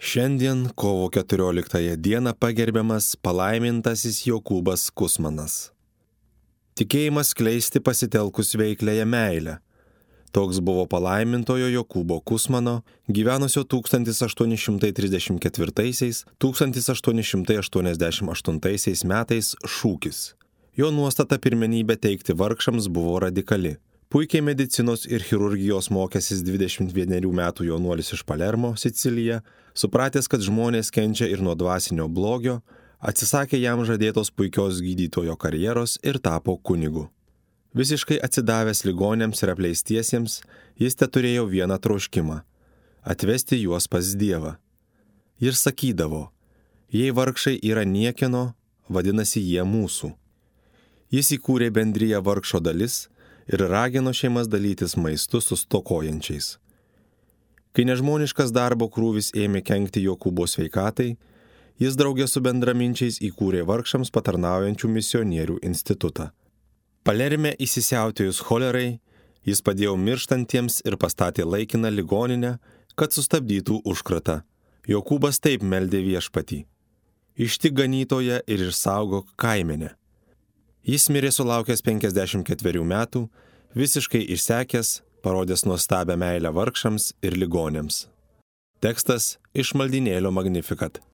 Šiandien, kovo 14 dieną, pagerbiamas palaimintasis Jokūbas Kusmanas. Tikėjimas skleisti pasitelkus veikliąją meilę. Toks buvo palaimintojo Jokūbo Kusmano, gyvenusio 1834–1888 metais šūkis. Jo nuostata pirmenybę teikti vargšams buvo radikali. Puikiai medicinos ir chirurgijos mokęsis 21 metų jaunuolis iš Palermo, Sicilija, supratęs, kad žmonės kenčia ir nuo dvasinio blogio, atsisakė jam žadėtos puikios gydytojo karjeros ir tapo kunigu. Visiškai atsidavęs ligoniams ir apleistiesiems, jis teturėjo vieną troškimą – atvesti juos pas Dievą. Ir sakydavo, jei vargšai yra niekieno, vadinasi jie mūsų. Jis įkūrė bendriją Vargšo dalis ir ragino šeimas dalytis maistu su stokojančiais. Kai nežmoniškas darbo krūvis ėmė kenkti Jokūbo sveikatai, jis draugė su bendraminčiais įkūrė vargšams patarnaujančių misionierių institutą. Palerme įsisiautėjus cholerai, jis padėjo mirštantiems ir pastatė laikiną ligoninę, kad sustabdytų užkratą. Jokūbas taip meldė Viešpatį: ištik ganytoją ir išsaugok kaimenę. Jis mirė sulaukęs 54 metų, visiškai išsekęs, parodęs nuostabią meilę vargšams ir ligoniams. Tekstas iš maldynėlio Magnificat.